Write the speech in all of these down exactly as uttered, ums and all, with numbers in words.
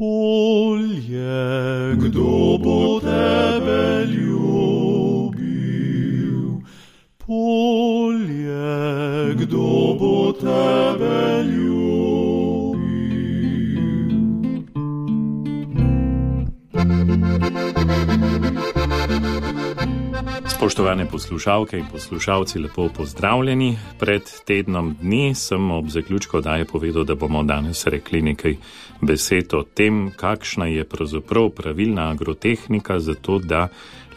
Polje, kdo bo tebe ljubil? Polje, kdo bo tebe ljubil? Spoštovane poslušalke in poslušalci, lepo pozdravljeni. Pred tednom dni sem ob zaključku oddaje povedal, da bomo danes rekli nekaj besed o tem, kakšna je pravzaprav pravilna agrotehnika za to, da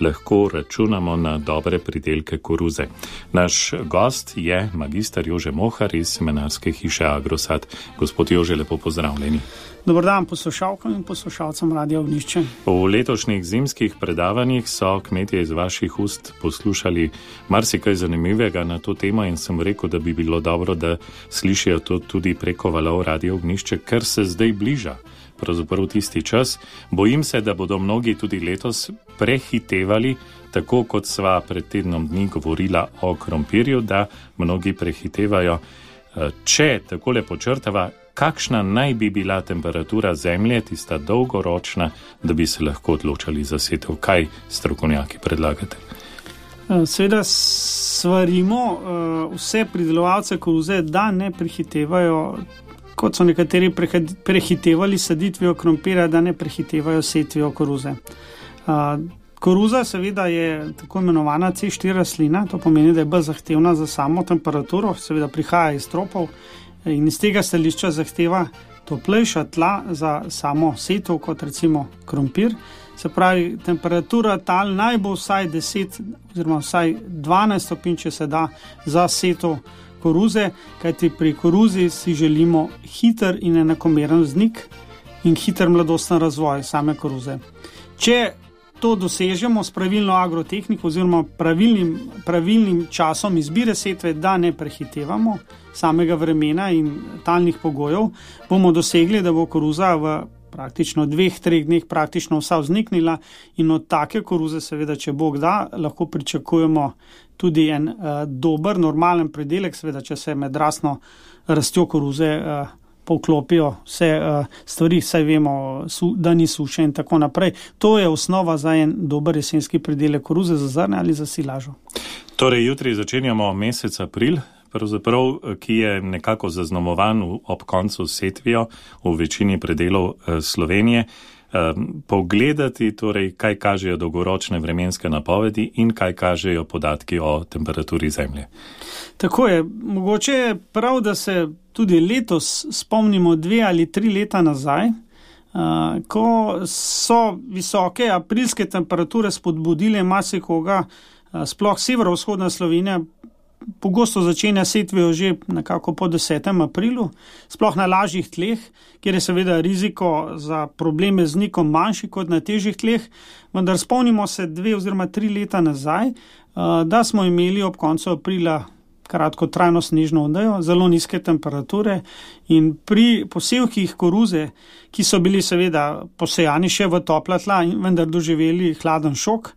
lahko računamo na dobre pridelke koruze. Naš gost je magister Jože Mohar iz semenarske hiše Agrosad. Gospod Jože, lepo pozdravljeni. Dobar dan poslušalkam in poslušalcem Radia Ognjišče. V letošnjih zimskih predavanjih so kmetje iz vaših ust poslušali marsikaj zanimivega na to temo in sem rekel, da bi bilo dobro, da slišijo to tudi preko valov Radia Ognjišče, ker se zdaj bliža pravzaprav tisti čas. Bojim se, da bodo mnogi tudi letos prehitevali, tako kot sva pred tednom dni govorila o krompirju, da mnogi prehitevajo. Če takole počrtava, kakšna naj bi bila temperatura zemlje, tista dolgoročna, da bi se lahko odločali za setev? Kaj strokovnjaki predlagate? Seveda svarimo vse pridelovalce koruze, da ne prehitevajo, kot so nekateri prehitevali saditvijo krompirja, da ne prehitevajo setvijo koruze. Koruza seveda je tako imenovana C štiri rastlina, to pomeni, da je bolj zahtevna za samo temperaturo, seveda prihaja iz tropov in iz tega stališča zahteva toplejša tla za samo setev, kot recimo krompir. Se pravi, temperatura tal naj bo vsaj deset oziroma vsaj dvanajst stopinj, če se da, za setev koruze, kajti pri koruzi si želimo hiter in enakomeren vznik in hiter mladosten razvoj same koruze. Če to dosežemo s pravilno agrotehniko oziroma pravilnim, pravilnim časom izbire setve, da ne prehitevamo samega vremena in talnih pogojev, bomo dosegli, da bo koruza v praktično dveh, treh dneh praktično vsa vzniknila in od take koruze seveda, če Bog da, lahko pričakujemo tudi en uh, dober, normalen pridelek, seveda, če se med rastno rastjo koruze uh, povklopijo vse uh, stvari, saj vemo, su, da ni suše in tako naprej. To je osnova za en dober jesenski pridelek koruze za zrne ali za silažo. Torej, jutri začenjamo mesec april, pravzaprav, ki je nekako zaznamovan ob koncu setvijo v večini predelov uh, Slovenije. Pogledati, torej, kaj kažejo dolgoročne vremenske napovedi in kaj kažejo podatki o temperaturi zemlje. Tako je. Mogoče je prav, da se tudi letos spomnimo dve ali tri leta nazaj, ko so visoke aprilske temperature spodbudile marsikoga, sploh severovzhodna Slovenija pogosto začenja setvijo že nekako po desetem aprilu, sploh na lažjih tleh, kjer je seveda riziko za probleme z vznikom manjši kot na težjih tleh, vendar spomnimo se dve oziroma tri leta nazaj, da smo imeli ob koncu aprila kratkotrajno snežno odejo, zelo nizke temperature in pri posevkih koruze, ki so bili seveda posejani še v topla tla in vendar doživeli hladen šok,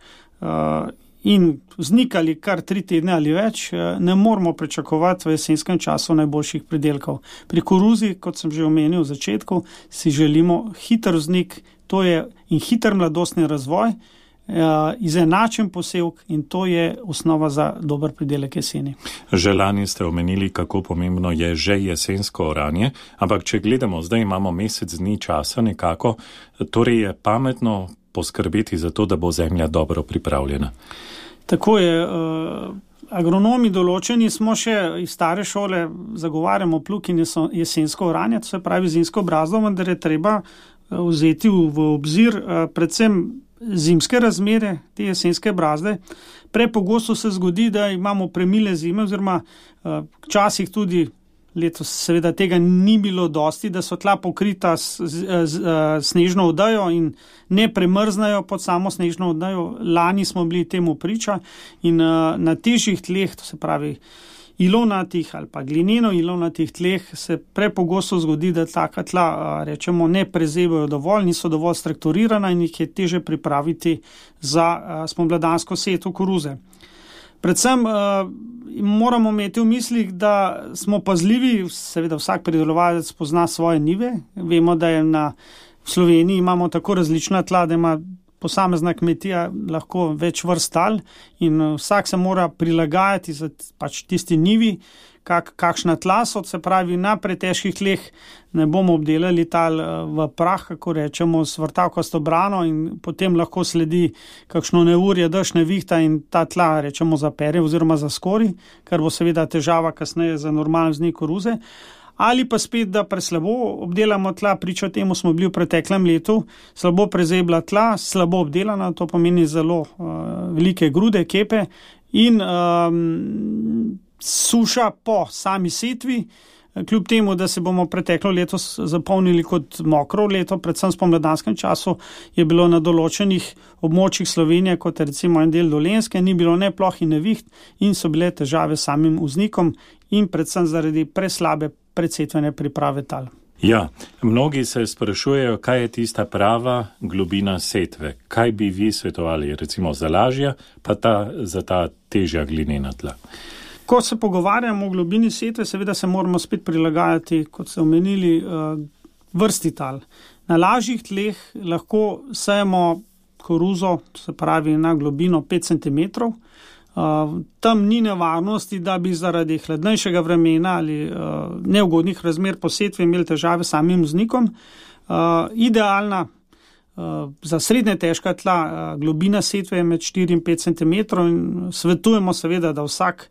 in vznikali kar tri tedne ali več, ne moramo pričakovati v jesenskem času najboljših pridelkov. Pri koruzi, kot sem že omenil v začetku, si želimo hiter vznik, to je in hiter mladostni razvoj, izenačen posevk in to je osnova za dober pridelek jeseni. Že lani ste omenili, kako pomembno je že jesensko oranje, ampak če gledamo, zdaj imamo mesec dni časa nekako, torej je pametno poskrbeti za to, da bo zemlja dobro pripravljena. Tako je. Agronomi določeni smo še iz stare šole, zagovarjamo plug in jesensko oranje, to se pravi zimsko brazdo, vendar je treba vzeti v obzir predvsem zimske razmere, te jesenske brazde. Prepogosto se zgodi, da imamo premile zime oziroma včasih tudi letos seveda tega ni bilo dosti, da so tla pokrita s, s, s, s snežno odejo in ne premrznajo pod samo snežno odejo. Lani smo bili temu priča in uh, na težjih tleh, to se pravi ilovnatih ali pa glineno ilovnatih tleh, se prepogosto zgodi, da taka tla, uh, rečemo, ne prezebajo dovolj, niso dovolj strukturirana in jih je teže pripraviti za uh, spomladansko setev koruze. Predvsem uh, moramo imeti v mislih, da smo pazljivi, seveda vsak pridelovalec pozna svoje njive. Vemo, da je na v Sloveniji imamo tako različna tla, da ima posamezna kmetija lahko več vrst tal in vsak se mora prilagajati za pač tisti njivi, kak, kakšna tla so, se pravi na pretežkih tleh ne bomo obdelali tal v prah, kako rečemo, s vrtavkasto brano in potem lahko sledi kakšno neurje, dež, nevihta in ta tla, rečemo, zapere oziroma zaskori, kar bo seveda težava kasneje za normalen vznik koruze. Ali pa spet, da preslabo obdelamo tla, priča temu smo bili v preteklem letu, slabo prezebla tla, slabo obdelana, to pomeni zelo uh, velike grude, kepe in um, suša po sami setvi, kljub temu, da se bomo preteklo leto zapolnili kot mokro leto, predvsem v spomladanskem času je bilo na določenih območjih Slovenije, kot recimo en del Dolenjske, ni bilo ne ploh in neviht in so bile težave s samim vznikom in predvsem zaradi preslabe predsetvene priprave tal. Ja, mnogi se sprašujejo, kaj je tista prava globina setve. Kaj bi vi svetovali, recimo za lažja, pa ta, za ta težja glinena tla? Ko se pogovarjamo o globini setve, seveda se moramo spet prilagajati, kot ste omenili, vrsti tal. Na lažjih tleh lahko sejemo koruzo, se pravi na globino pet centimetrov. Uh, tam ni nevarnosti, da bi zaradi hladnejšega vremena ali uh, neugodnih razmer po setvi imeli težave s samim vznikom. Uh, idealna uh, za srednje težka tla uh, globina setve je med štiri in pet centimetrov in svetujemo seveda, da vsak,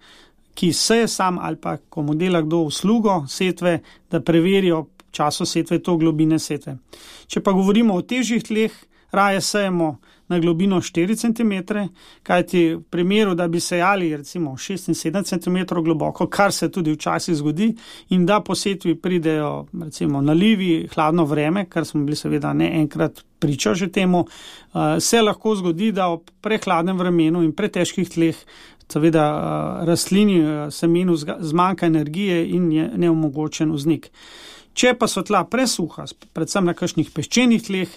ki seje sam ali pa komu dela kdo uslugo setve, da preverijo v času setve to globine setve. Če pa govorimo o težjih tleh, raje sejemo na globino štiri centimetre, kajti v primeru, da bi sejali recimo šest in sedem centimetrov globoko, kar se tudi včasih zgodi, in da po setvi pridejo recimo nalivi, hladno vreme, kar smo bili seveda ne enkrat priča že temu, se lahko zgodi, da ob prehladnem vremenu in pretežkih tleh seveda rastlini, semenu zmanjka energije in je neomogočen vznik. Če pa so tla presuha, predvsem na kakšnih peščenih tleh,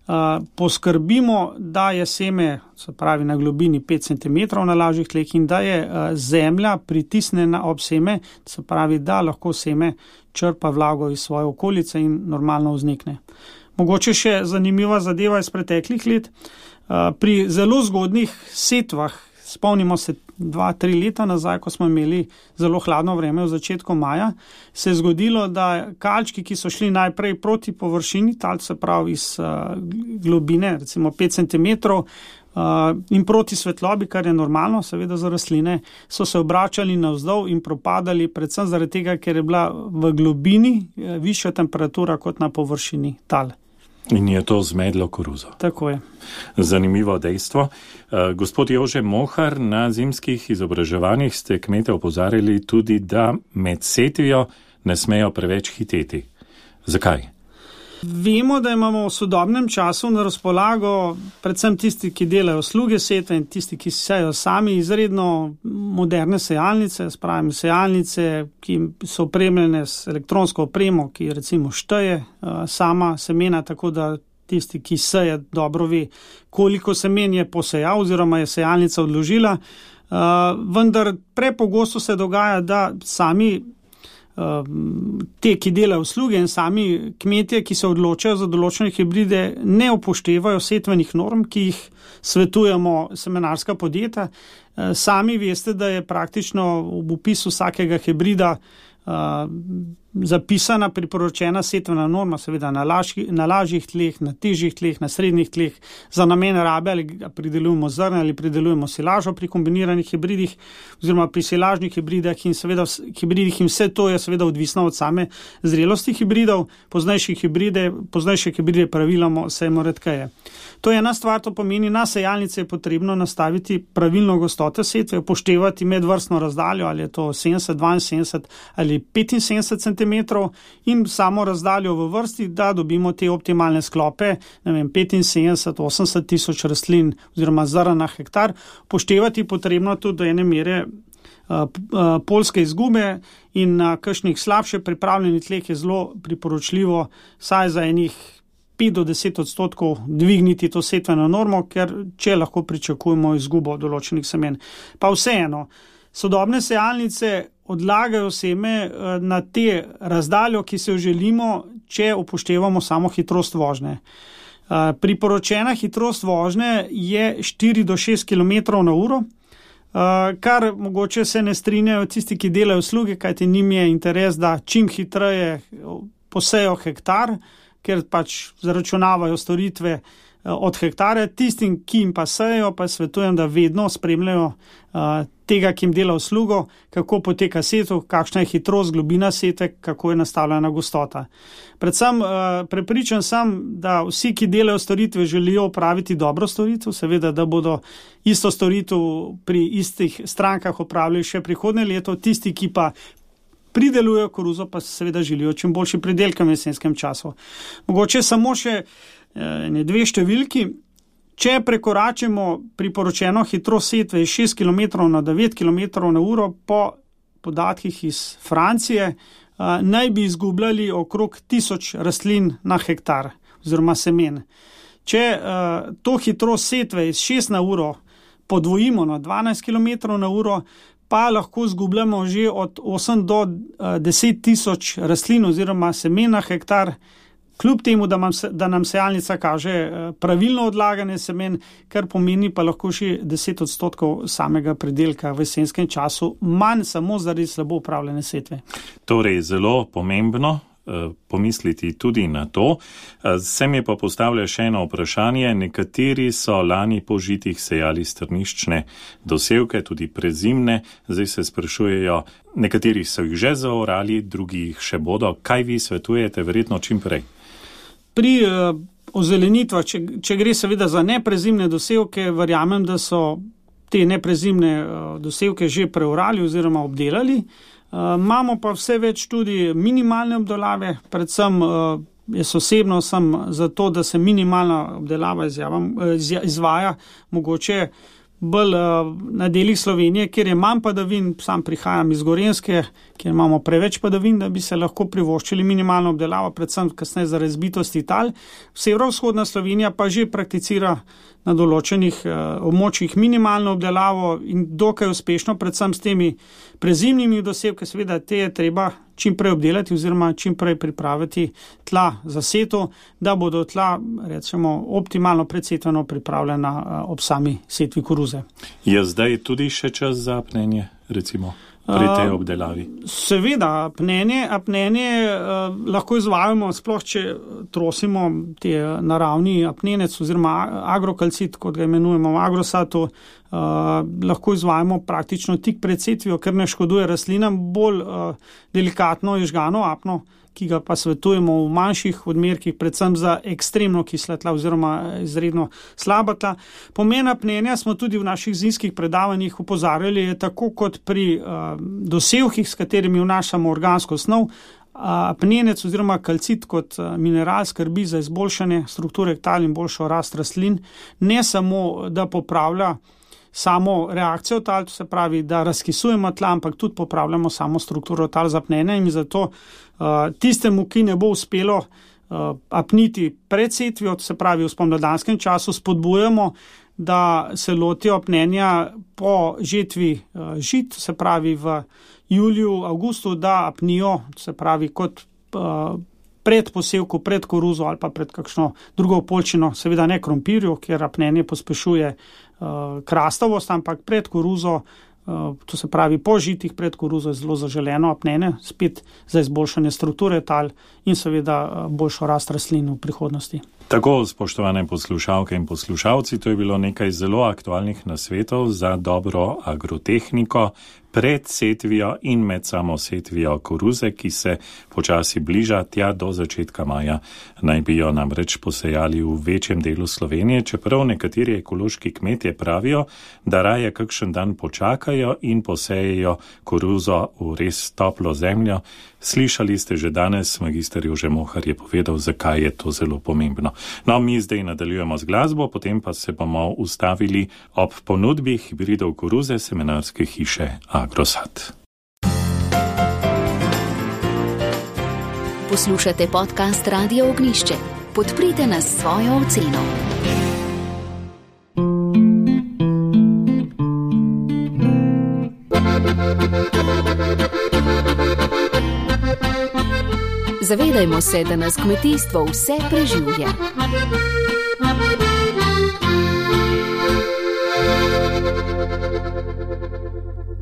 uh, poskrbimo, da je seme, se pravi na globini pet centimetrov na lažjih tleh in da je uh, zemlja pritisnjena ob seme, se pravi, da lahko seme črpa vlago iz svoje okolice in normalno vznikne. Mogoče še zanimiva zadeva iz preteklih let. Uh, pri zelo zgodnih setvah, spomnimo se dva, tri leta nazaj, ko smo imeli zelo hladno vreme v začetku maja, se je zgodilo, da kalčki, ki so šli najprej proti površini, tal se pravi iz uh, globine, recimo pet centimetrov, uh, in proti svetlobi, kar je normalno, seveda za rastline, so se obračali navzdol in propadali, predvsem zaradi tega, ker je bila v globini uh, višja temperatura kot na površini tal. In je to zmedlo koruzo. Tako je. Zanimivo dejstvo. Uh, gospod Jože Mohar, na zimskih izobraževanjih ste kmete opozarjali tudi, da med setvijo ne smejo preveč hiteti. Zakaj? Vemo, da imamo v sodobnem času na razpolago predvsem tisti, ki delajo sluge setve in tisti, ki sejo sami, izredno moderne sejalnice, spravim sejalnice, ki so opremljene s elektronsko opremo, ki recimo šteje uh, sama semena, tako da tisti, ki seje, dobro ve, koliko semen je posejal oziroma je sejalnica odložila. Uh, vendar prepogosto se dogaja, da sami te, ki delajo usluge in sami kmetje, ki se odločajo za določene hibride, ne upoštevajo setvenih norm, ki jih svetujemo semenarska podjetja. Sami veste, da je praktično v opisu vsakega hibrida uh, zapisana priporočena setvena norma, seveda na, lažji, na lažjih tleh, na težjih tleh, na srednjih tleh, za namen rabe ali pridelujemo zrne ali pridelujemo silažo pri kombiniranih hibridih oziroma pri silažnih hibridah in seveda hibridih in vse to je seveda odvisno od same zrelosti hibridov, poznejše hibride, poznejše hibride praviloma sejemo redkeje. To je ena stvar, to pomeni, na sejalnice je potrebno nastaviti pravilno gostoto setve, upoštevati medvrstno razdaljo, ali je to sedemdeset, dvainsedemdeset ali petinsedemdeset centimetrov in samo razdaljo v vrsti, da dobimo te optimalne sklope, ne vem, petinsedemdeset, osemdeset tisoč rastlin oziroma zrn na hektar. Upoštevati potrebno tudi do ene mere uh, uh, polske izgube in na kakšnih slabše pripravljenih tleh je zelo priporočljivo saj za enih pet do deset odstotkov dvigniti to setveno normo, ker če lahko pričakujemo izgubo določenih semen. Pa vseeno, sodobne sejalnice odlagajo seme na te razdaljo, ki se jo želimo, če upoštevamo samo hitrost vožnje. Priporočena hitrost vožnje je štiri do šest kilometrov na uro, kar mogoče se ne strinjajo tisti, ki delajo usluge, kajti njim je interes, da čim hitreje posejo hektar, ker pač zaračunavajo storitve od hektarja. Tistim, ki jim pa sejo, pa svetujem, da vedno spremljajo tega, ki jim dela uslugo, kako poteka setev, kakšna je hitrost, globina sete, kako je nastavljena gostota. Predvsem prepričan sem, da vsi, ki delajo storitve, želijo opraviti dobro storitev, seveda, da bodo isto storitev pri istih strankah opravili še prihodnje leto, tisti, ki pa pridelujejo koruzo, pa seveda želijo čim boljši pridelke v jesenskem času. Mogoče samo še ne dve številki. Če prekoračimo priporočeno hitrost setve iz šest kilometrov na devet kilometrov na uro, po podatkih iz Francije, naj bi izgubljali okrog tisoč rastlin na hektar oziroma semen. Če to hitrost setve iz šest na uro podvojimo na dvanajst kilometrov na uro, pa lahko izgubljamo že od osem do deset tisoč rastlin oziroma semen na hektar, kljub temu, da, mam, da nam sejalnica kaže pravilno odlaganje semen, kar pomeni pa lahko še deset odstotkov samega pridelka v jesenskem času, manj samo zaradi slabo upravljene setve. Torej, zelo pomembno pomisliti tudi na to. Se mi pa postavlja še eno vprašanje. Nekateri so lani po žitih sejali strniščne dosevke, tudi prezimne. Zdaj se sprašujejo, nekateri so jih že zaorali, drugi jih še bodo. Kaj vi svetujete, verjetno čim prej? Pri uh, ozelenitvah, če, če gre seveda za neprezimne dosevke, verjamem, da so te neprezimne uh, dosevke že preorali oziroma obdelali. Uh, imamo pa vse več tudi minimalne obdelave, predvsem uh, jaz osebno sem za to, da se minimalna obdelava izjavam, iz, izvaja mogoče bolj uh, na delih Slovenije, kjer je manj padavin. Sam prihajam iz Gorenjske, kjer imamo preveč padavin, da bi se lahko privoščili minimalno obdelavo, predvsem kasneje za razbitosti tal. Severovzhodna Slovenija pa že prakticira na določenih uh, območjih minimalno obdelavo in dokaj uspešno, predvsem s temi prezimnimi dosevki, seveda te je treba čim prej obdelati oziroma čim prej pripraviti tla za setev, da bodo tla, recimo, optimalno predsetveno pripravljena uh, ob sami setvi koruze. Je zdaj tudi še čas za apnenje, recimo? Pri tej obdelavi? Uh, seveda, apnenje, apnenje uh, lahko izvajamo, sploh če trosimo te naravni apnenec oziroma agrokalcit, kot ga imenujemo v agrosatu, uh, lahko izvajamo praktično tik pred setvijo, ker ne škoduje rastlinam, bolj uh, delikatno je žgano apno, ki ga pa svetujemo v manjših odmerkih, predvsem za ekstremno kisla tla oziroma izredno slaba tla. Pomen apnenja smo tudi v naših zimskih predavanjih opozarjali, je tako kot pri uh, dosevkih, s katerimi vnašamo organsko snov, apnenec oziroma kalcit kot uh, mineral skrbi za izboljšanje strukture tal in boljšo rast rastlin, ne samo, da popravlja samo reakcijo tal, to se pravi, da razkisujemo tla, ampak tudi popravljamo samo strukturo tal z apnenjem in zato uh, tistemu, ki ne bo uspelo uh, apniti pred setvijo, to se pravi v spomladanskem času, spodbujamo, da se lotijo apnenja po žetvi uh, žit, to se pravi v juliju, avgustu, da apnijo, to se pravi kot uh, pred posevku, pred koruzo ali pa pred kakšno drugo polčino, seveda ne krompirju, ker apnenje pospešuje uh, krastavost, ampak pred koruzo, uh, to se pravi po žitih pred koruzo je zelo zaželeno apnenje, spet za izboljšanje strukture tal in seveda uh, boljšo rast rastlin v prihodnosti. Tako, spoštovane poslušalke in poslušalci, to je bilo nekaj zelo aktualnih nasvetov za dobro agrotehniko pred setvijo in med samo setvijo koruze, ki se počasi bliža tja do začetka maja. Naj bi jo namreč posejali v večjem delu Slovenije, čeprav nekateri ekološki kmetje pravijo, da raje kakšen dan počakajo in posejejo koruzo v res toplo zemljo. Slišali ste že danes, magister Jože Mohar je povedal, zakaj je to zelo pomembno. No, mi zdaj nadaljujemo z glasbo, potem pa se bomo ustavili ob ponudbi hibridov koruze semenarske hiše Agrosat. Poslušate podcast Radio Ognjišče. Podprite nas s svojo oceno. Zavedajmo se, da nas kmetijstvo vse preživlja.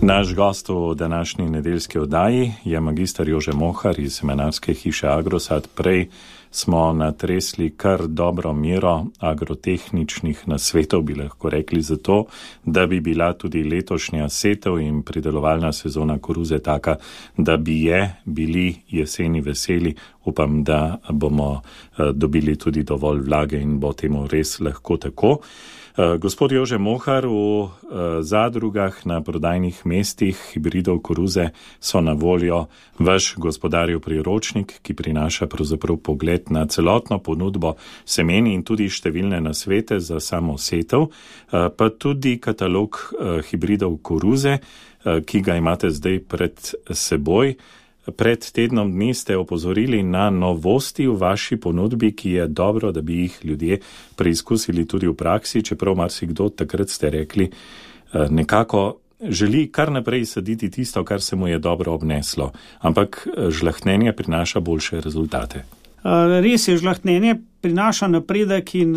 Naš gost v današnji nedeljski oddaji je magister Jože Mohar iz semenarske hiše Agrosad. Prej smo natresli kar dobro mero agrotehničnih nasvetov, bi lahko rekli, za to, da bi bila tudi letošnja setev in pridelovalna sezona koruze taka, da bi je bili jeseni veseli. Upam, da bomo dobili tudi dovolj vlage in bo temu res lahko tako. Gospod Jože Mohar, v zadrugah na prodajnih mestih hibridov koruze so na voljo vaš gospodarjev priročnik, ki prinaša pravzaprav pogled na celotno ponudbo semeni in tudi številne nasvete za samo setev, pa tudi katalog hibridov koruze, ki ga imate zdaj pred seboj. Pred tednom dni ste opozorili na novosti v vaši ponudbi, ki je dobro, da bi jih ljudje preizkusili tudi v praksi, čeprav marsikdo, takrat ste rekli, nekako želi kar naprej saditi tisto, kar se mu je dobro obneslo, ampak žlahtnenje prinaša boljše rezultate. Res je, žlahtnenje prinaša napredek in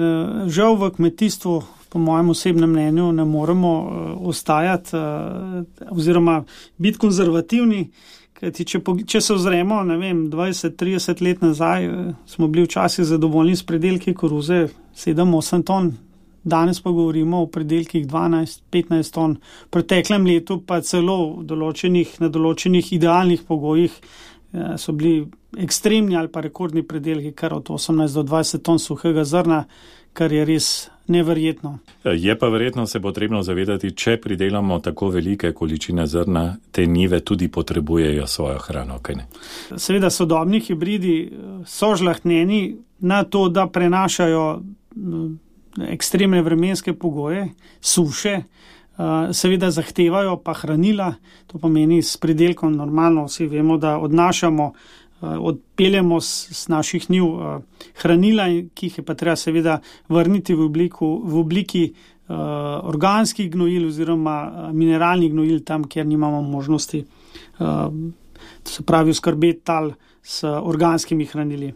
žal v kmetijstvu, po mojem osebnem mnenju, ne moremo ostajati oziroma biti konzervativni. Kajti, če, če se ozremo, ne vem, dvajset trideset let nazaj, smo bili včasih zadovoljni s predelki koruze sedem osem ton, danes pa govorimo o predelkih dvanajst petnajst ton, v preteklem letu pa celo določenih, na določenih idealnih pogojih so bili ekstremni ali pa rekordni predelki, kar od osemnajst do dvajset ton suhega zrna, kar je res neverjetno. Je pa verjetno se potrebno zavedati, če pridelamo tako velike količine zrna, te njive tudi potrebujejo svojo hrano, kaj ne? Seveda sodobni hibridi so žlahtnjeni na to, da prenašajo ekstremne vremenske pogoje, suše, seveda zahtevajo pa hranila, to pomeni s pridelkom normalno, vsi vemo, da odnašamo odpeljemo s naših njiv hranila, ki jih je pa treba seveda vrniti v, obliku, v obliki uh, organskih gnojil oziroma mineralnih gnojil tam, kjer nimamo možnosti, uh, to se pravi skrbeti tal s organskimi hranili.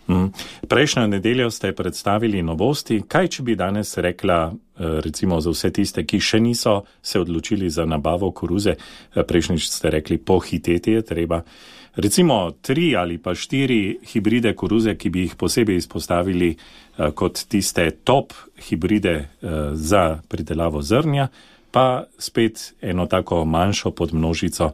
Mm. Prejšnjo nedeljo ste predstavili novosti. Kaj, če bi danes rekla, recimo za vse tiste, ki še niso se odločili za nabavo koruze, prejšnjič ste rekli, pohiteti je treba. Recimo tri ali pa štiri hibride koruze, ki bi jih posebej izpostavili uh, kot tiste top hibride uh, za pridelavo zrnja, pa spet eno tako manjšo podmnožico.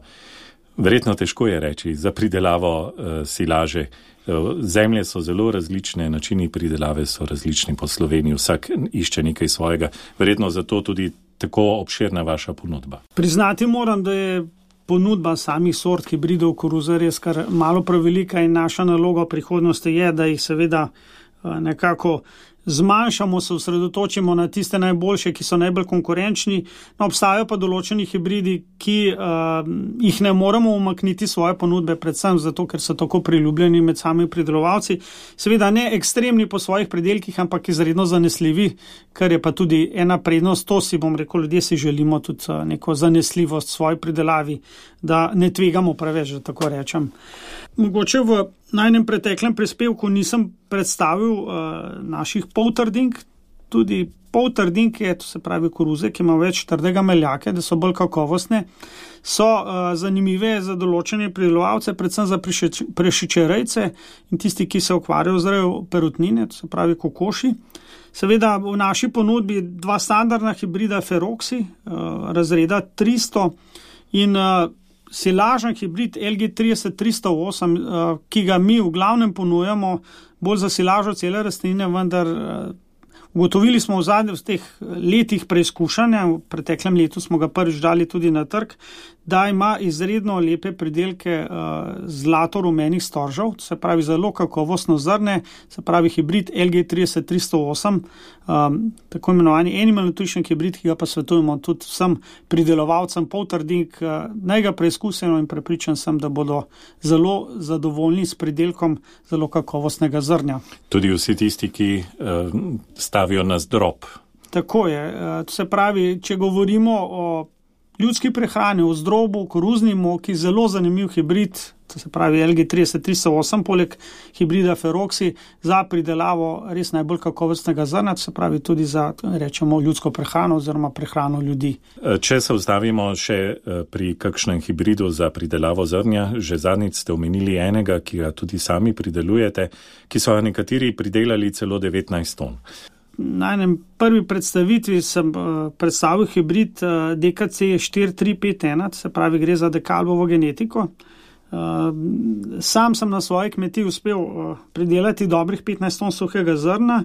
Verjetno težko je reči za pridelavo uh, silaže. Uh, zemlje so zelo različne, načini pridelave so različni po Sloveniji, vsak išče nekaj svojega. Verjetno zato tudi tako obširna vaša ponudba. Priznati moram, da je ponudba samih sort hibridov koruze res kar malo prevelika in naša naloga v prihodnosti je, da jih seveda nekako zmanjšamo, se osredotočimo na tiste najboljše, ki so najbolj konkurenčni. No, obstajajo pa določeni hibridi, ki uh, jih ne moremo umakniti svoje ponudbe, predvsem zato, ker so tako priljubljeni med samimi pridelovalci. Seveda ne ekstremni po svojih predelkih, ampak izredno zanesljivi, kar je pa tudi ena prednost. To si bom rekel, ljudje si želimo tudi neko zanesljivost svoji pridelavi, da ne tvegamo preveč, da tako rečem. Mogoče v najnem preteklem prispevku nisem predstavil uh, naših poltrdink, tudi poltrdinke, to se pravi koruze, ki ima več trdega meljake, da so bolj kakovostne, so uh, zanimive za določene pridelovalce, predvsem za prešičerejce in tisti, ki se ukvarjajo z rejo perutnine, to se pravi kokoši. Seveda v naši ponudbi dva standardna hibrida Feroxi, uh, razreda tristo in uh, silažen hibrid L G trideset tristo osem, ki ga mi v glavnem ponujamo bolj za silažo cele rastline, vendar ugotovili smo v zadnjih v teh letih preizkušanja, v preteklem letu smo ga prvič dali tudi na trg, da ima izredno lepe pridelke uh, zlato-rumenih storžev, se pravi zelo kakovostno zrne, se pravi hibrid L G trideset tristo osem, um, tako imenovani animal nutrition hibrid, ki ga pa svetujemo tudi vsem pridelovalcem poltrdink, uh, naj ga preizkusimo in prepričan sem, da bodo zelo zadovoljni s pridelkom zelo kakovostnega zrnja. Tudi vsi tisti, ki uh, stavijo na zdrob. Tako je, uh, to se pravi, če govorimo o ljudski prehrani, v zdrobu, koruzni moki, zelo zanimiv hibrid, to se pravi L G trideset tristo osem, poleg hibrida Feroxi, za pridelavo res najbolj kakovostnega zrna, to se pravi tudi za, rečemo, ljudsko prehrano oziroma prehrano ljudi. Če se ustavimo še pri kakšnem hibridu za pridelavo zrnja, že zadnjič ste omenili enega, ki ga tudi sami pridelujete, ki so nekateri pridelali celo devetnajst ton. Na enem prvi predstavitvi sem predstavil hibrid D K C štiri tri pet ena, se pravi gre za dekalbovo genetiko. Sam sem na svoji kmetiji uspel pridelati dobrih petnajst ton suhega zrna.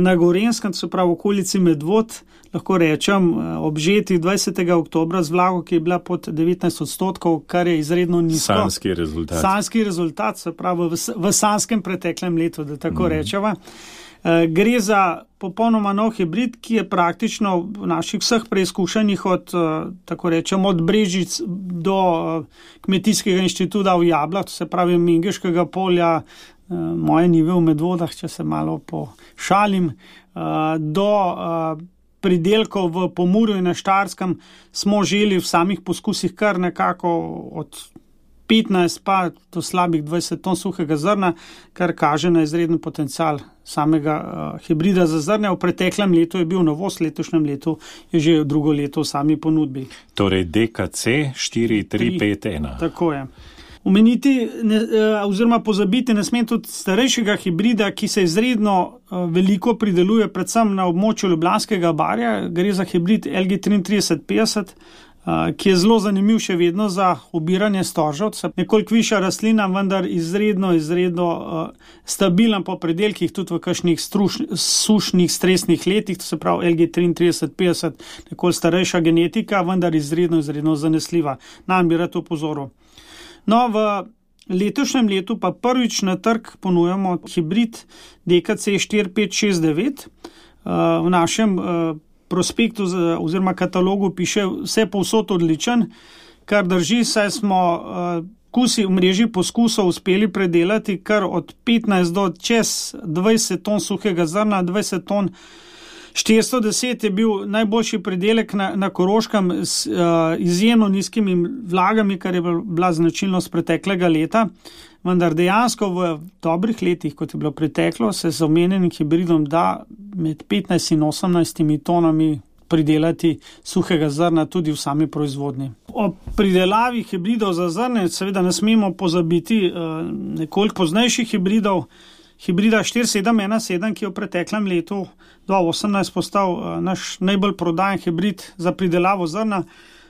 Na Gorenjskem, se pravi v okolici Medvod, lahko rečem, obžeti dvajsetega oktobra z vlago, ki je bila pod devetnajst odstotkov, kar je izredno nizko. Sanski rezultat. Sanski rezultat, se pravi v, v sanskem preteklem letu, da tako mm. rečeva. Gre za popolnoma nov hibrid, ki je praktično v naših vseh preizkušanjih od, tako rečem, od Brežic do Kmetijskega inštituta v Jablah, to se pravi Mengeškega polja, moje nive v Medvodah, če se malo pošalim, do pridelkov v Pomurju in na Štajerskem smo želi v samih poskusih kar nekako od petnajst pa do slabih dvajset ton suhega zrna, kar kaže na izreden potencial samega uh, hibrida za zrnje. V preteklem letu je bil novost, letošnjem letu je že drugo leto v sami ponudbi. Torej D K C štiri tri pet ena. Tako je. Omeniti ne, oziroma pozabiti ne smem tudi starejšega hibrida, ki se izredno uh, veliko prideluje predvsem na območju Ljubljanskega barja. Gre za hibrid L G triintrideset petdeset, Uh, ki je zelo zanimiv še vedno za obiranje storžev. Nekoliko višja rastlina, vendar izredno, izredno uh, stabilen po predelkih, tudi v kakšnih struš, sušnih, stresnih letih, to se pravi L G triintrideset petdeset, nekoliko starejša genetika, vendar izredno, izredno zanesljiva. Nam bi rad opozoril. No, v letošnjem letu pa prvič na trg ponujamo hibrid D K C štiri pet šest devet. Uh, v našem uh, prospektu oziroma katalogu piše vse povsod odličen, kar drži, saj smo uh, kusi v mreži poskusov uspeli predelati kar od petnajst do čez dvajset ton suhega zrna, dvajset ton. štiristo deset je bil najboljši pridelek na, na Koroškem s uh, izjemno nizkimi vlagami, kar je bila značilnost preteklega leta. Vendar dejansko v dobrih letih, kot je bilo preteklo, se z omenjenim hibridom da med petnajst in osemnajst tonami pridelati suhega zrna tudi v sami proizvodnji. O pridelavi hibridov za zrne seveda ne smemo pozabiti uh, nekoliko poznejših hibridov, hibrida štiri sedem ena sedem, ki je v preteklem letu dva tisoč osemnajst postal uh, naš najbolj prodajen hibrid za pridelavo zrna.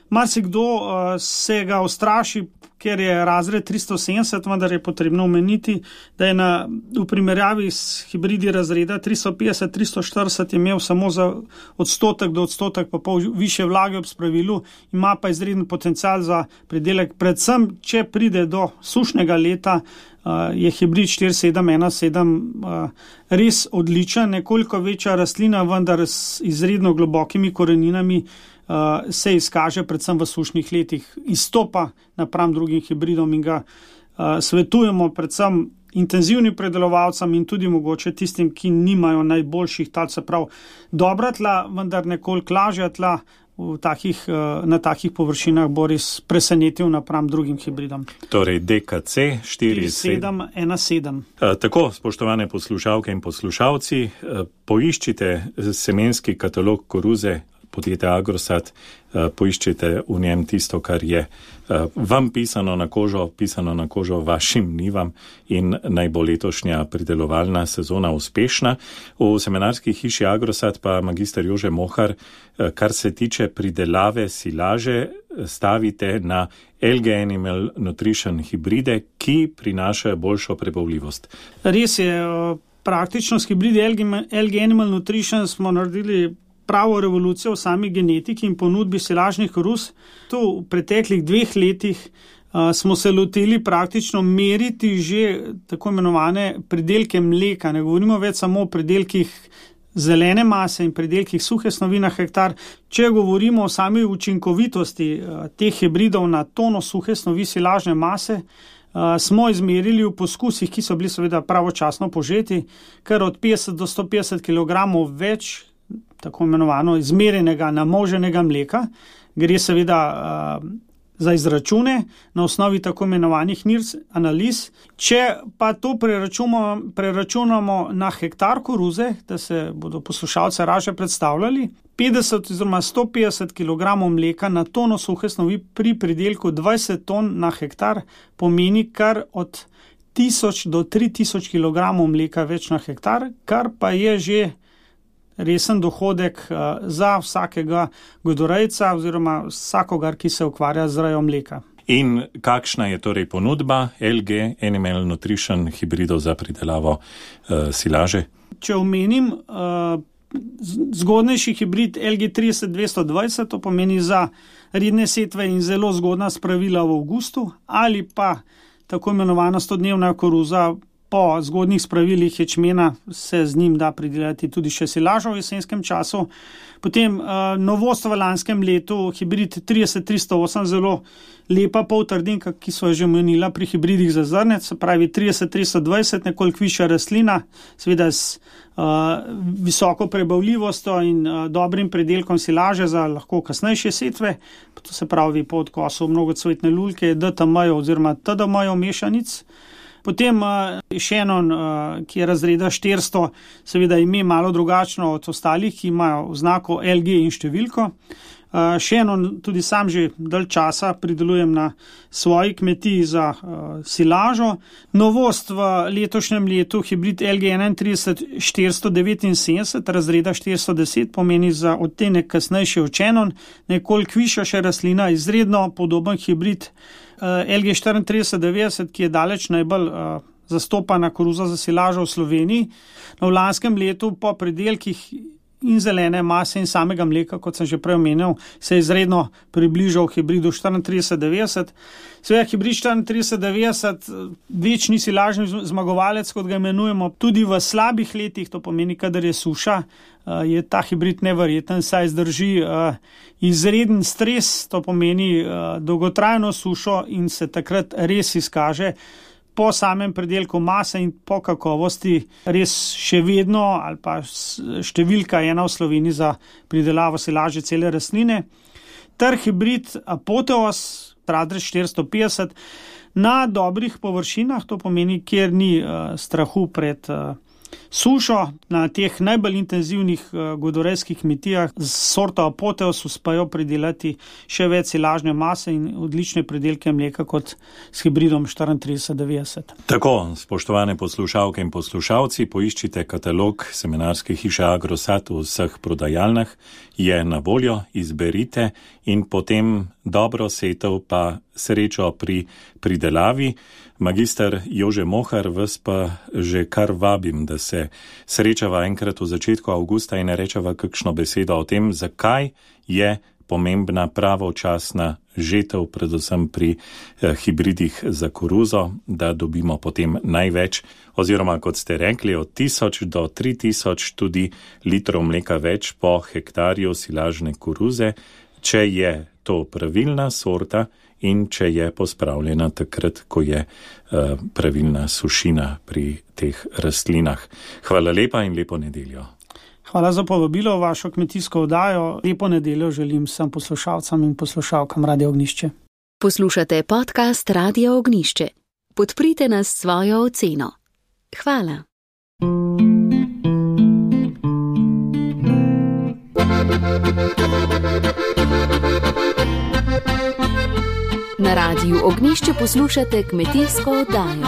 Marsikdo uh, se ga ustraši, ker je razred tristo sedemdeset, vendar je potrebno omeniti, da je na, v primerjavi s hibridi razreda tristo petdeset tristo štirideset imel samo za odstotek do odstotek pa pol više vlage ob spravilu, ima pa izreden potencial za pridelek, predvsem če pride do sušnega leta, uh, je hibrid štiri sedem ena sedem uh, res odličen, nekoliko večja rastlina, vendar s izredno globokimi koreninami. Uh, se izkaže predvsem v sušnih letih, izstopa napram drugim hibridom in ga uh, svetujemo predvsem intenzivnim predelovalcem in tudi mogoče tistim, ki nimajo najboljših tal, se prav dobra tla, vendar nekoliko lažja tla v takih, uh, na takih površinah bo res presenetil napram drugim hibridom. Torej D K C štiri sedem ena sedem. Uh, tako, spoštovane poslušalke in poslušalci, uh, poiščite semenski katalog koruze podjetja Agrosat, poiščite v njem tisto, kar je vam pisano na kožo, pisano na kožo vašim nivam in naj bo letošnja pridelovalna sezona uspešna. V semenarski hiši Agrosat pa magister Jože Mohar, kar se tiče pridelave silaže, stavite na L G Animal Nutrition hibride, ki prinašajo boljšo prebavljivost. Res je, praktično s hibridi L G Animal Nutrition smo naredili pravo revolucijo v sami genetiki in ponudbi silažnih koruz. Tu v preteklih dveh letih uh, smo se lotili praktično meriti že tako imenovane pridelke mleka. Ne govorimo več samo o pridelkih zelene mase in pridelkih suhe snovi na hektar. Če govorimo o sami učinkovitosti uh, teh hibridov na tono suhe snovi silažne mase, uh, smo izmerili v poskusih, ki so bili seveda pravočasno požeti, kar od petdeset do sto petdeset kilogramov več tako imenovano izmerjenega namoženega mleka, Gre seveda uh, za izračune na osnovi tako imenovanih N I R S analiz. Če pa to preračunamo, preračunamo na hektar koruze, da se bodo poslušalce raje predstavljali, petdeset oziroma sto petdeset kilogramov mleka na tono suhe snovi pri pridelku dvajset ton na hektar pomeni kar od tisoč do tri tisoč kilogramov mleka več na hektar, kar pa je že resen dohodek uh, za vsakega godorejca oziroma vsakogar, ki se ukvarja z rejo mleka. In kakšna je torej ponudba L G Animal Nutrition hibridov za pridelavo uh, silaže? Če omenim, uh, zgodnejši hibrid L G trideset dvesto dvajset, to pomeni za redne setve in zelo zgodna spravila v avgustu, ali pa tako imenovana stodnevna koruza po zgodnih spravilih ječmena, se z njim da pridelati tudi še silažo v jesenskem času. Potem uh, novost v lanskem letu, hibrid trideset tristo osem, zelo lepa poltrdinka, ki so jo že omenila pri hibridih za zrnec, se pravi trideset tristo dvajset, nekoliko višja rastlina, seveda s uh, visoko prebavljivostjo in uh, dobrim predelkom silaže za lahko kasnejše setve, to se pravi po odkosu mnogocvetne lulke, D T M-jev oziroma T D M-jev mešanic. Potem uh, Shannon, uh, ki je razreda štiristo, seveda ime malo drugačno od ostalih, ki imajo oznako L G in številko. Uh, Shannon tudi sam že dalj časa pridelujem na svoji kmetiji za uh, silažo. Novost v letošnjem letu, hibrid L G enaintrideset štiristo devetinsedemdeset, razreda štiristo deset, pomeni za odtenek kasnejši od Shannon, nekoliko višja še rastlina, izredno podoben hibrid L G štiriintrideset devetdeset, ki je daleč najbolj uh, zastopana koruza za silažo v Sloveniji. No, v lanskem letu po pridelkih in zelene mase in samega mleka, kot sem že prej omenil, se je izredno približal hibridu štiriintrideset devetdeset. Seveda hibrid štiriintrideset devetdeset, večni silažni zmagovalec, kot ga imenujemo, tudi v slabih letih, to pomeni, kadar je suša, je ta hibrid neverjeten, saj zdrži uh, izreden stres, to pomeni uh, dolgotrajno sušo in se takrat res izkaže po samem predelku mase in po kakovosti res še vedno ali pa številka ena v Sloveniji za pridelavo silaže cele rastline. Ter hibrid Apoteos, razred štiristo petdeset, na dobrih površinah, to pomeni, kjer ni uh, strahu pred uh, sušo, na teh najbolj intenzivnih uh, godorejskih kmetijah z sorto Apoteos uspejo pridelati še več silažne mase in odlične pridelke mleka kot s hibridom štiriintrideset devetdeset. Tako, spoštovane poslušalke in poslušalci, poiščite katalog semenarske hiše Agrosat v vseh prodajalnah, je na voljo, izberite in potem dobro setev pa srečo pri pridelavi. Magister Jože Mohar, vas pa že kar vabim, da se srečava enkrat v začetku avgusta in rečeva kakšno besedo o tem, zakaj je pomembna pravočasna žetev, predvsem pri eh, hibridih za koruzo, da dobimo potem največ, oziroma kot ste rekli, od tisoč do tri tisoč tudi litrov mleka več po hektarju silažne koruze, če je to pravilna sorta in če je pospravljena takrat, ko je uh, pravilna sušina pri teh rastlinah. Hvala lepa in lepo nedeljo. Hvala za povabilo v vašo kmetijsko oddajo. Lepo nedeljo želim vsem poslušalcem in poslušalkam Radio Ognjišče. Poslušate podcast Radio Ognjišče. Podprite nas s svojo oceno. Hvala. Na Radiu Ognjišče poslušate kmetijsko oddajo.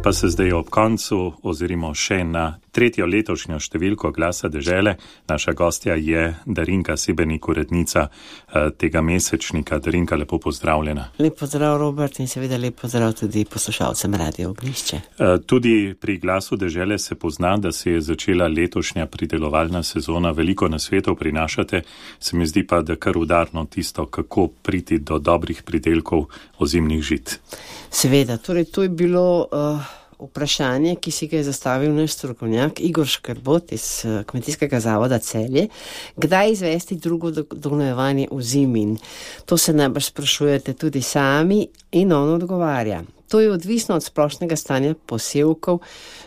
Pa se zdaj ob koncu ozirimo še na tretjo letošnjo številko Glasa dežele. Naša gostja je Darinka Sebenik, urednica eh, tega mesečnika. Darinka, lepo pozdravljena. Lep pozdrav, Robert, in seveda lep pozdrav tudi poslušalcem Radio Ognjišče. Eh, tudi pri Glasu dežele se pozna, da se je začela letošnja pridelovalna sezona. Veliko nasvetov prinašate, se mi zdi pa, da kar udarno tisto, kako priti do dobrih pridelkov ozimnih žit. Seveda, torej to je bilo uh, vprašanje, ki si ga je zastavil naš strokovnjak Igor Škrbot iz uh, Kmetijskega zavoda Celje. Kdaj izvesti drugo dognojevanje v zimi? To se najbrž sprašujete tudi sami in on odgovarja. To je odvisno od splošnega stanja posevkov,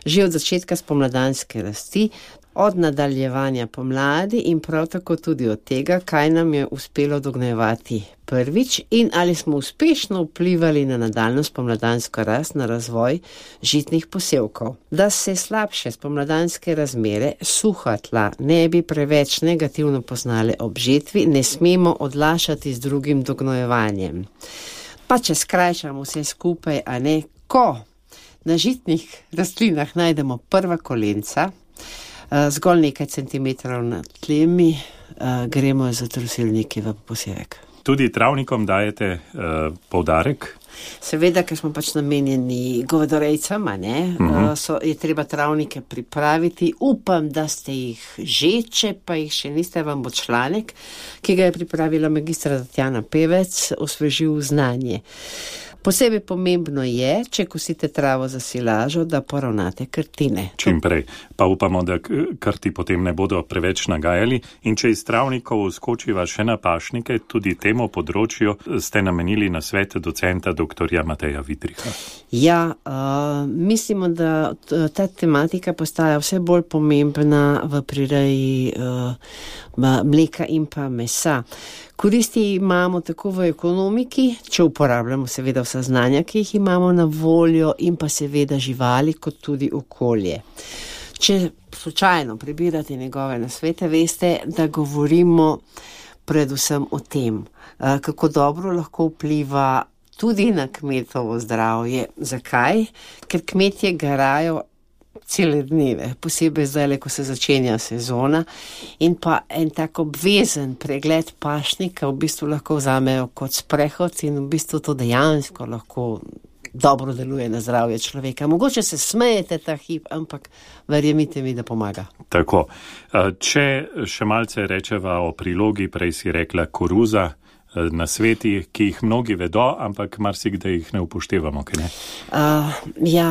že od začetka spomladanske rasti, od nadaljevanja pomladi in prav tako tudi od tega, kaj nam je uspelo dognjevati prvič in ali smo uspešno vplivali na nadaljno spomladansko rast, na razvoj žitnih posevkov. Da se slabše spomladanske razmere, suha tla, ne bi preveč negativno poznale ob žetvi, ne smemo odlašati z drugim dognojevanjem. Pa če skrajšamo vse skupaj, a ne, ko na žitnih rastlinah najdemo prva kolenca, zgolj nekaj centimetrov nad tlemi, gremo za trosilniki v posevek. Tudi travnikom dajete uh, poudarek? Seveda, ker smo pač namenjeni govedorejcem, ne, uh-huh. so, je treba travnike pripraviti. Upam, da ste jih že, če pa jih še niste, vam bo članek, ki ga je pripravila magistra Tatjana Pevec, osvežil znanje. Posebej pomembno je, če kosite travo za silažo, da poravnate krtine. Čim prej. Pa upamo, da krti potem ne bodo preveč nagajali. In če iz travnikov skočiva še na pašnike, tudi temu področju ste namenili nasvet docenta doktorja Mateja Vidriha. Ja, uh, mislimo, da ta tematika postaja vse bolj pomembna v prireji uh, mleka in pa mesa. Koristi imamo tako v ekonomiki, če uporabljamo seveda vsa znanja, ki jih imamo na voljo, in pa seveda živali, kot tudi okolje. Če slučajno prebirate njegove nasvete, veste, da govorimo predvsem o tem, kako dobro lahko vpliva tudi na kmetovo zdravje. Zakaj? Ker kmetje garajo cele dneve, posebej zdaj, ko se začenja sezona, in pa en tak obvezen pregled pašnika v bistvu lahko vzamejo kot sprehod in v bistvu to dejansko lahko dobro deluje na zdravje človeka. Mogoče se smejete ta hip, ampak verjemite mi, da pomaga. Tako. Če še malce rečeva o prilogi, prej si rekla koruza, na sveti, ki jih mnogi vedo, ampak marsikdaj jih ne upoštevamo, kaj ne? Uh, ja,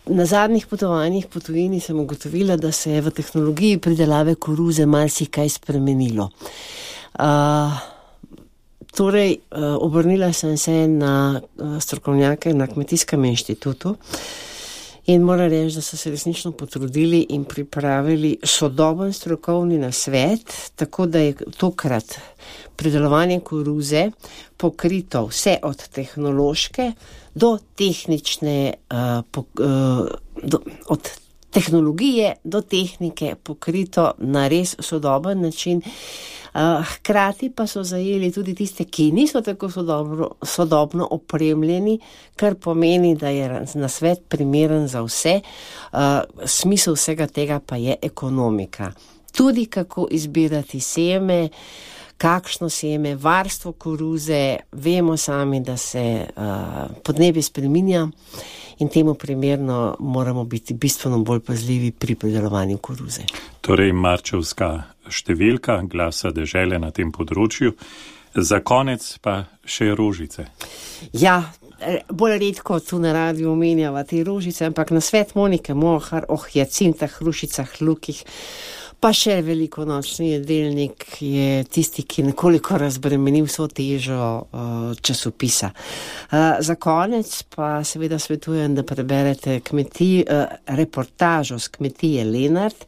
na zadnjih potovanjih po tujini sem ugotovila, da se je v tehnologiji pridelave koruze marsikaj spremenilo. Uh, torej, uh, obrnila sem se na uh, strokovnjake na Kmetijskem inštitutu in moram reči, da so se resnično potrudili in pripravili sodoben strokovni nasvet, tako da je tokrat pridelovanje koruze pokrito vse od tehnološke do tehnične, uh, po, uh, do, od tehnologije do tehnike pokrito na res sodoben način. Uh, hkrati pa so zajeli tudi tiste, ki niso tako sodobno, sodobno opremljeni, kar pomeni, da je nasvet primeren za vse. Uh, smisel vsega tega pa je ekonomika. Tudi kako izbirati seme, kakšno seme, varstvo koruze. Vemo sami, da se uh, podnebje spreminja in temu primerno moramo biti bistveno bolj pazljivi pri pridelovanju koruze. Torej, marčevska številka glasa dežele na tem področju. Za konec pa še rožice. Ja, bolj redko tu na radiju omenjava te rožice, ampak na svet Monike Mohar o hijacintah, hrušicah, lukih, pa še velikonočni jedelnik je tisti, ki nekoliko razbremeni vso težo uh, časopisa. Uh, za konec pa seveda svetujem, da preberete kmetij, uh, reportažo z kmetije Lenart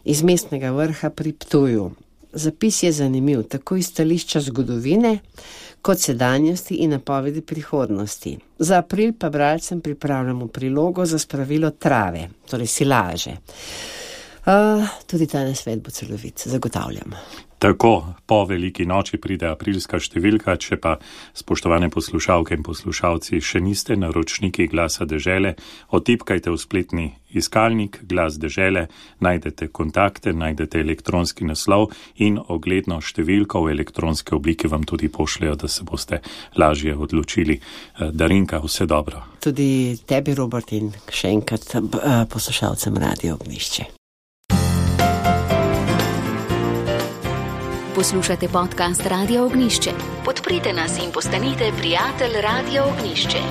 iz Mestnega vrha pri Ptuju. Zapis je zanimiv, tako iz stališča zgodovine, kot sedanjosti in napovedi prihodnosti. Za april pa bralcem pripravljamo prilogo za spravilo trave, torej silaže. Uh, tudi ta nasvet bo celovit, zagotavljam. Tako, po veliki noči pride aprilska številka, če pa, spoštovane poslušalke in poslušalci, še niste naročniki glasa dežele, otipkajte v spletni iskalnik Glas dežele, najdete kontakte, najdete elektronski naslov in ogledno številko v elektronske oblike vam tudi pošljajo, da se boste lažje odločili. Darinka, vse dobro. Tudi tebi, Robert, in še enkrat poslušalcem Radio Ognišče. Poslušate podcast Radio Ognišče. Podprite nas in postanite prijatelj Radio Ognišče.